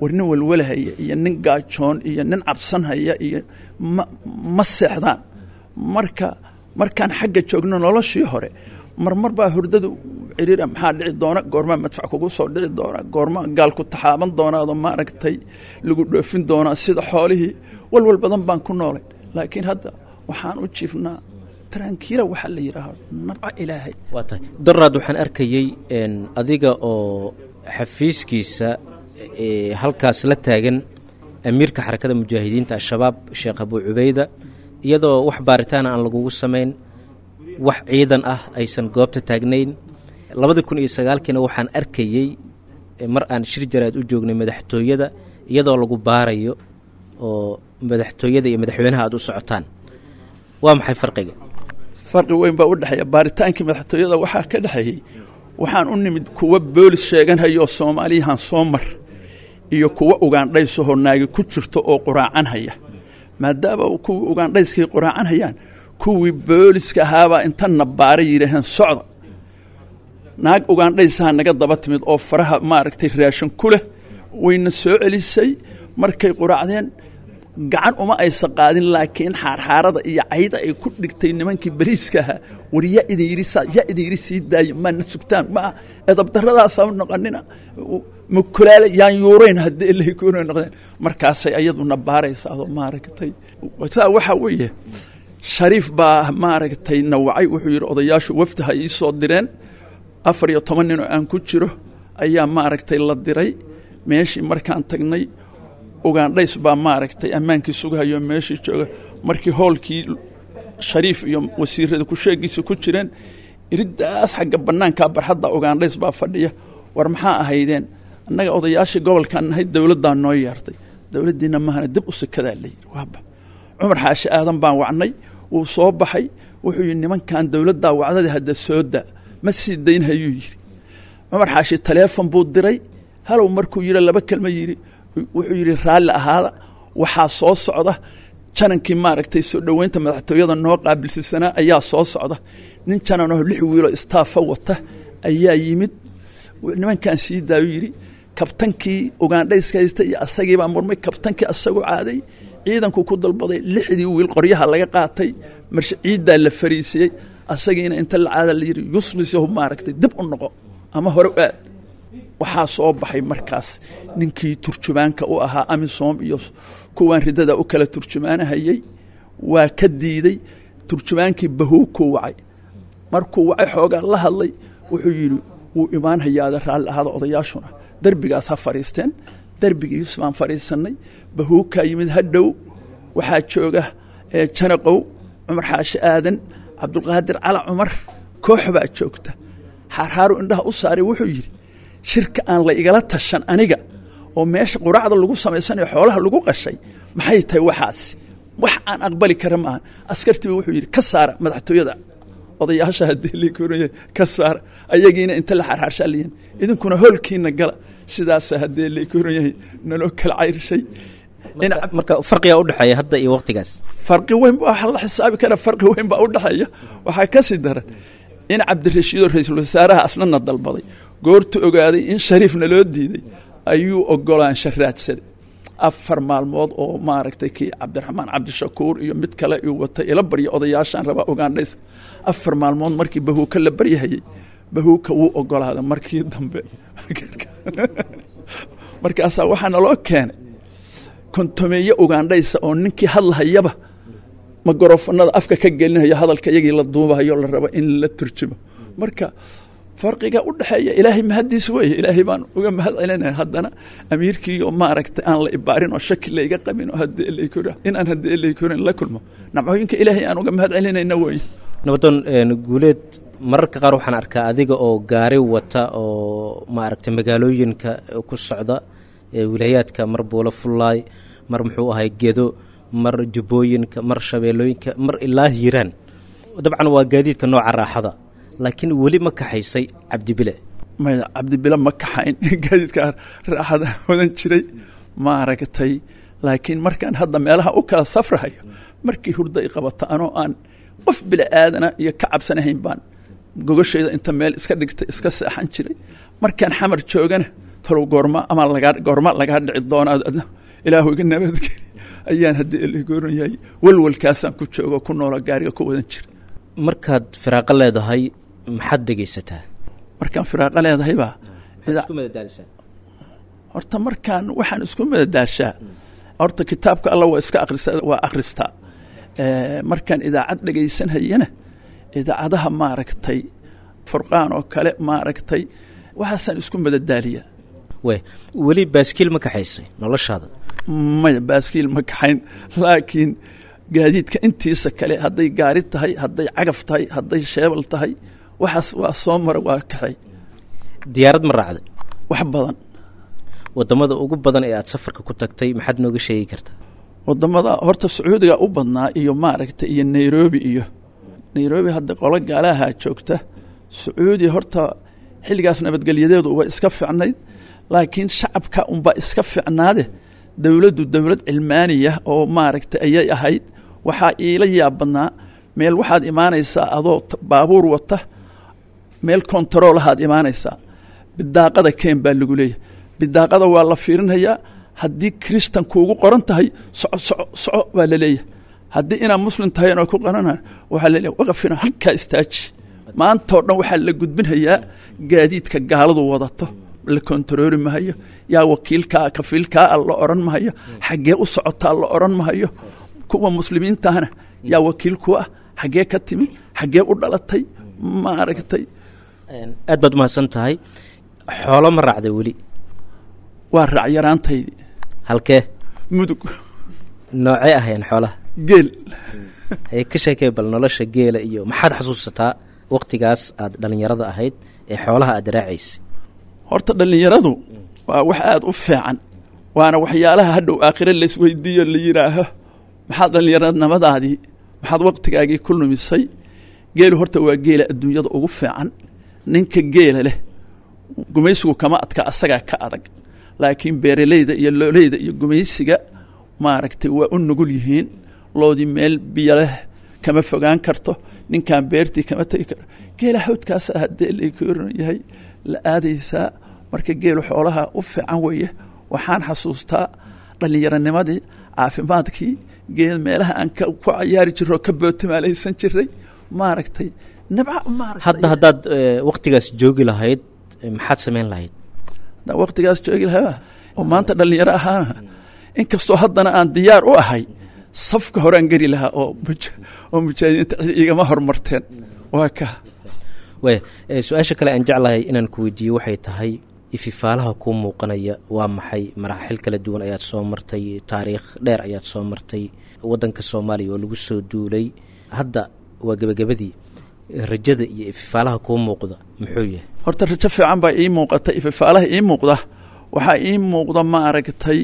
War nin walwalahaya iyo nin gaajoon iyo nin cabsanhaya iyo ma ma seexdaan. Marka markaan xagga joogno noloshii hore, marmar baa hurdadu ciriira. Maxaa dhici doona? Goormaa madfac kugu soo dhici doona? Goormaa gaal ku taxaaban doonaado maaragtay lagu dhoofin doonaa sida xoolihii? Walwal badan baan ku noolay, laakiin hadda waxaan u jiifnaa tarankiila, waxaa la yidhaaho nabca ilaahay. Waa tahay. Daraad waxaan arkayey adiga oo xafiiskiisa halkaas la taagan amiirka xarakada mujaahidiinta Al-Shabaab Sheekh Abuu Cubeyda, iyadoo wax baaritaana aan lagugu samayn, wax ciidan ah aysan goobta taagnayn. Labadii kun iyo sagaalkiina waxaan arkayey mar aan shir jaraad u joognay madaxtooyada, iyadoo lagu baarayo oo madaxtooyada iyo madaxweynaha aad u socotaan. Waa maxay farqiga? Farqi weyn baa u dhexeeya. Baaritaankii madaxtooyada waxaa ka dhexeeyey waxaan u nimid kuwa boolis sheeganhayoo Soomaaliyahan soo mar iyo kuwa ugaandhaysahoo naagi ku jirto oo quraacanhaya. Maadaama kuwii ugaandhayskay quraacanhayaan, kuwii booliska ahaabaa inta baara yidhaaheen socda. Naag ugaandhaysaha naga daba timid oo faraha maaragtay raashin ku leh, wayna soo celisay. Markay quraacdeen gacan uma aysan qaadin, laakiin xaarxaarada iyo cayda ay ku dhigtay nimankii bariiska ahaa, war yaa idin yidhi saa, yaa idin yidhi sii daayo, maana sugtaan, ma edabdarradaasaa noqonina, makulaale yaan yuurayn haddii ilahay koona noqdeen. Markaasay ayaduna baaraysa adoo maaragtay saa. Waxaa weeye Shariif baa maaragtay nawacay, wuxuu yidhi odayaashu wafdi ha ii soo direen. Afar iyo toban nin oo aan ku jiro ayaa maaragtay la diray meeshii. Markaan tagnay, ugaandhays baa maaragtay ammaankii sugahayo meeshii jooga. Markii hoolkii Shariif iyo wasiirada ku-sheegiisa ku jireen, iriddaas xagga bannaankaa barxadda ugaandhays baa fadhiya. War maxaa ahaydeen? Annaga odayaashii gobolkaan nahay, dowladdaa noo yeertay. Dowladdiina mahana, dib u sikadaa la yidhi. Waaba Cumar Xaashi Aadan baan wacnay, wuu soo baxay. Wuxuu yidhi, nimankan dowladdaa wacdadii hadda soo daa. Ma sii dayn hayuu yidhi. Cumar Xaashi taleefon buu diray. Halow markuu yidhi, laba kelma yidhi, wuxuu yidhi, raalli ahaada, waxaa soo socda janankii maaragtay soo dhoweynta madaxtooyada noo qaabilsiisanaa ayaa soo socda. Nin jananoo lix wiiloo istaafa wata ayaa yimid. Nimankan sii daayu yidhi. Kabtankii Ugandhayska haystay iyo asagii baa murmay. Kabtankii asagoo caaday ciidanku ku dalbaday lixdii wiil qoryaha laga qaatay, marshe ciiddaa la fariisiyey. Asagiina inta la caada la yidhi yuslisahu maaragtay dib u noqo ama hore u aad. Waxaa soo baxay markaas ninkii turjumaanka u ahaa AMISOM iyo kuwaan ridada u kala turjumaanahayey, waa ka diiday. Turjumaankii Bahuukuu wacay. Markuu wacay xoogaa la hadlay, wuxuu yidhi wuu imaan hayaada, raalli ahaada, odayaashuna derbigaas ha fadhiisteen. Derbigii Yuusuf baan fadhiisannay. Bahuukaa yimid hadhow, waxaa jooga Janaqow, Cumar Xaashi Aadan, Cabdulqaadir Cala Cumar, koox baa joogta. Xaarxaaru indhaha u saaray, wuxuu yidhi shirka aan la igala tashan aniga oo meesha quraacda lagu samaysanayo xoolaha lagu qashay maxay tahay waxaasi? Wax aan aqbali kara maaha. Askartiiba wuxuu yidhi ka saara madaxtooyada odayaasha, haddii la ka saara. Ayagiina inta la xaarxaarshaa layihin idinkuna hoolkiina gala. Sidaasa haddii la koran yahay naloo kala cayrshay. Marka farqigaa udhexeeya hadda iyo waqtigaas farqi weyn baa waxa la xisaabi karaa, farqi weyn baa udhexeeya. Waxaa ka sii daran in Cabdirashiidoo ra-iisul wasaaraha asnana dalbaday, goortu ogaaday in Shariifna loo diiday ayuu ogolaansha raadsaday. Afar maalmood oo maaragtay kii Cabdiraxmaan Cabdishakuur iyo mid kale uu watay ila barya odayaashaan rabaa Ugandhayska. Afar maalmood markii Bahuuka la baryahayey, Bahuuka wuu ogolaaday markii dambe. Markaasaa waxaa naloo keenay kontomeeye Ugandhaysa oo ninkii hadlahayaba magorofanada afka ka gelinayo, hadalka iyagii la duubahayo, la rabo in la turjumo. Marka farqiga u dhexeeya ilaahay mahaddiis weeye, ilaahay baan uga mahad celinaya. Haddana amiirkii oo maaragtay aan la ibaarin oo shaki layga qabin oo haddii laykor inaan haddii laykorin la kulmo, nacmooyinka ilaahay aan uga mahad celinayna weeye. Nabadoon Guuleed, mararka qaar waxaan arkaa adiga oo gaari wata oo maaragtay magaalooyinka ku socda wilaayaadka, mar Buulo Fullaay, mar muxuu ahay Gedo, mar Jubbooyinka, mar Shabeellooyinka, mar ilaa Hiiraan. Dabcan waa gaadiidka nooca raaxada, laakiin weli ma kaxaysay Cabdibile? Maya, Cabdibile ma kaxayn. Gaadiidka raaxada wadan jiray maaragtay, laakiin markaan hadda meelaha u kala safrahayo, markii hurda i qabata anoo aan qof bili aadana iyo ka cabsanahayn baan gogashayda inta meel iska dhigtay iska seexan jiray. Markaan Xamar joogana talow goorma ama lagaa goorma lagaa dhici doonaa, adna ilaahu iga nabadgeli ayaan haddii eligooran yahay walwalkaasaan ku joogo ku noola gaariga ku wadan jira. Markaad firaaqo leedahay maxaad dhegaysataa? Markaan firaaqo leedahay baa horta markaan waxaan isku madadaashaa horta kitaabka alla waa iska akhrisa, waa akhristaa. Markaan idaacad dhegaysanhayana idaacadaha maaragtay Furqaan oo kale maaragtay waxaasaan isku madadaaliyaa. We weli baaskiil ma kaxaysay noloshaada? Maya, baaskiil ma kaxayn, laakiin gaadiidka intiisa kale hadday gaari tahay, hadday cagaf tahay, hadday sheebal tahay, waxaas waa soo mara, waa kaxay. Diyaarad ma raacday? Wax badan. Wadamada ugu badan ee aada safarka ku tagtay maxaad nooga sheegi kartaa? Wadamada horta Sacuudiga u badnaa iyo maaragtay iyo Nairobi iyo Nairobi hadda qolo gaalaha joogta. Sacuudi horta xilligaas nabadgelyadeedu waa iska fiicnayd, laakiin shacabka unbaa iska fiicnaade. Dowladdu dowlad cilmaaniya oo maaragtay ayay ahayd. Waxaa iila yaab badnaa meel waxaad imaanaysaa adoo baabuur wata, meel kontaroolahaad imaanaysaa, bidaaqada keen baa lagu leeyahay. Bidaaqada waa la fiirinayaa, haddii kristan kuugu qoran tahay soco soco soco baa laleeyahay, haddii inaad muslim tahay oo ku qorana waxaa laleeyahay waqafina halkaa istaaji. Maantao dhan waxaa la gudbinhayaa gaadiidka gaaladu wadato, la kontarooli mahayo, yaa wakiilkaa kafiilkaa la odhan mahayo, xaggee u socotaa la odhan mahayo. Kuwa muslimiintahana yaa wakiil ku ah, xaggee ka timi, xaggee u dhalatay maaragtay. Aad baad umahadsan tahay. Xoolo ma raacday weli? Waa raac yaraantaydii. Halkee? Mudug. Noocee ahayn xoolaha? Geel. Haye, ka sheekay bal nolosha geela iyo maxaad xasuusataa waqtigaas aad dhallinyarada ahayd ee xoolaha aad raacaysay? Horta dhallinyaradu waa wax aada u fiican, waana waxyaalaha hadhow aakhire laysweydiiyo la yidhaaho maxaad dhallinyaranimadaadii maxaad waqtigaagii ku lumisay. Geelu horta waa geela adduunyada ugu fiican. Ninka geela leh gumaysigu kama adka, asagaa ka adag, laakiin beeraleyda iyo looleyda iyo gumaysiga maaragtay waa u nugul yihiin. Loodii meel biyo leh kama fogaan karto, ninkaan beertii kama tegi karo. Geela hawdkaasa haddee lakoran yahay la aadaysaa. Marka geelu xoolaha u fiican weeye. Waxaan xasuustaa dhallinyaranimadii, caafimaadkii, geel meelaha aan ku cayaari jirro, ka bootimaalaysan jiray, maaragtay, nabca maaragtay. Hadda haddaad waqtigaas joogi lahayd, maxaad samayn lahayd? Haddaan waqtigaas joogi lahaa oo maanta dhallinyaro ahaana, inkastoo haddana aan diyaar u ahay, safka horaan geli lahaa oo oo mujaahidiinta cid igama hormarteen. Waa ka Waaya, su-aasha kale aan jeclahay inaan ku weydiiyo waxay tahay, ififaalaha kuu muuqanaya waa maxay? Maraaxil kala duwan ayaad soo martay, taariikh dheer ayaad soo martay, waddanka Soomaaliya oo lagu soo duulay, hadda waa gebagabadii. Rajada iyo ififaalaha kuu muuqda muxuu yahay? Horta rajo fiican baa ii muuqata. Ififaalaha ii muuqda, waxaa ii muuqda, maaragtay,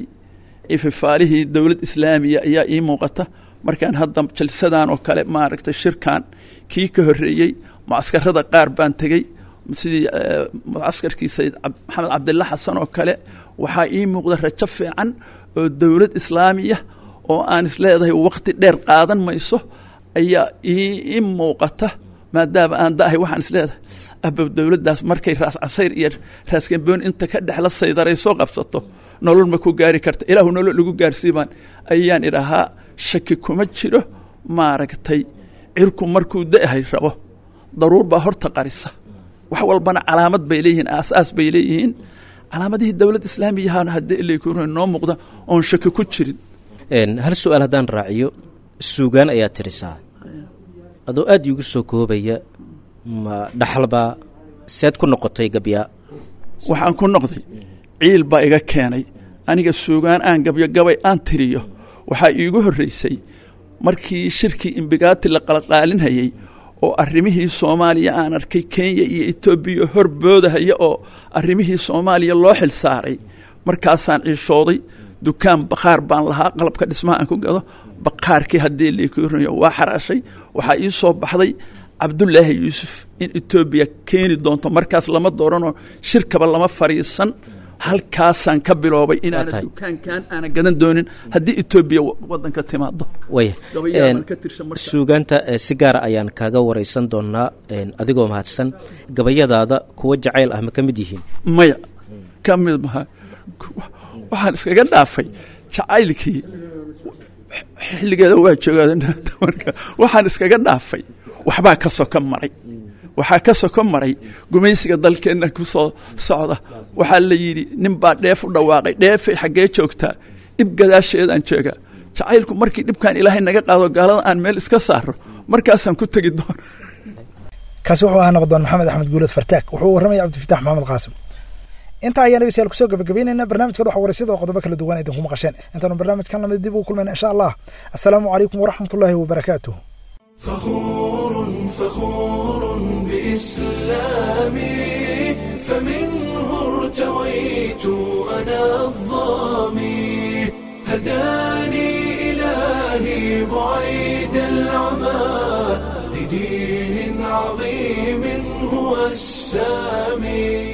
ififaalihii dowlad islaamiya ayaa ii muuqata. Markaan hadda jalsadan oo kale, maaragtay, shirkan kii ka horreeyey, mucaskarada qaar baan tegey, sidii mucaskarkii Sayid Maxamed Cabdilla Xasan oo kale. Waxaa ii muuqda rajo fiican oo dowlad islaamiya oo aan isleedahay waqti dheer qaadan mayso ayaa ii muuqata. Maadaama aan da'ahay, waxaan isleedahay abow dowladdaas markay Raas Casayr iyo Raaskamboon inta ka dhexla saydaray soo qabsato, nolol ma ku gaari karta. Ilaahu nolol lagu gaarsiibaan ayaan idhahaa. Shaki kuma jiro, maaragtay, cirku markuu da'ahay rabo daruur baa horta qarisa. Wax walbana calaamad bay leeyihiin, aasaas bay leeyihiin. Calaamadihii dowlad islaamiyahana haddii ilay noo muuqda oon shaki ku jirin. Hal su-aal haddaan raaciyo, suugaan ayaa tirisaa, adoo aada iigu soo koobaya, ma dhaxalbaa? Seed ku noqotay gabyaa? Waxaan ku noqday ciil baa iga keenay. Aniga suugaan aan gabyo, gabay aan tiriyo, waxaa iigu horreysay markii shirkii Imbigaati la qalqaalinhayey oo arrimihii Soomaaliya aan arkay Kenya iyo Etoobiya horboodahaya oo arrimihii Soomaaliya loo xil saaray. Markaasaan ciishooday. Dukaan bakhaar baan lahaa, qalabka dhismaha aan ku gado. Bakhaarkii haddii liikurinyo waa xaraashay. Waxaa ii soo baxday Cabdulaahi Yuusuf in Etoobiya keeni doonto. Markaas lama dooranoo shirkaba lama fadhiisan. Halkaasaan ka biloobay inaana dukaankan aana gadan doonin haddii Etoobiya waddanka timaado. Waya, suugaanta si gaara ayaan kaaga wareysan doonaa, adigoo mahadsan. Gabayadaada kuwa jacayl ah ma ka mid yihiin? Maya, ka mid maha. Waxaan iskaga dhaafay jacaylkii, xilligeeda waa joogaa. Marka waxaan iskaga dhaafay waxbaa ka soko maray, waxaa ka soko maray gumaysiga dalkeenna ku soo socda. Waxaa la yidhi nin baa dheef u dhawaaqay, dheefay xaggee joogtaa? Dhib gadaasheedaan joogaa. Jacaylku markii dhibkaan Ilaahay naga qaado, gaalada aan meel iska saaro, markaasaan ku tegi doona. Kaasi wuxuu ahaa nabadoon Maxamed Axmed Guuleed Fartaag. Wuxuu warramaya Cabdifitax Maxamed Qaasim. Intaa ayaan dhegeystayaal kusoo gabagabeynayna barnaamijka Dhuxa Waraysyada oo qodobo kala duwan idinku maqasheen. Intaanu barnaamijkan lamid dib ugu kulmayna insha Allah, assalaamu calaykum waraxmatullaahi wabarakaatuh. فخور فخور بإسلامي، فمنه ارتويت أنا الظامي، هداني إلهي بعيد العمى لدين عظيم هو السامي.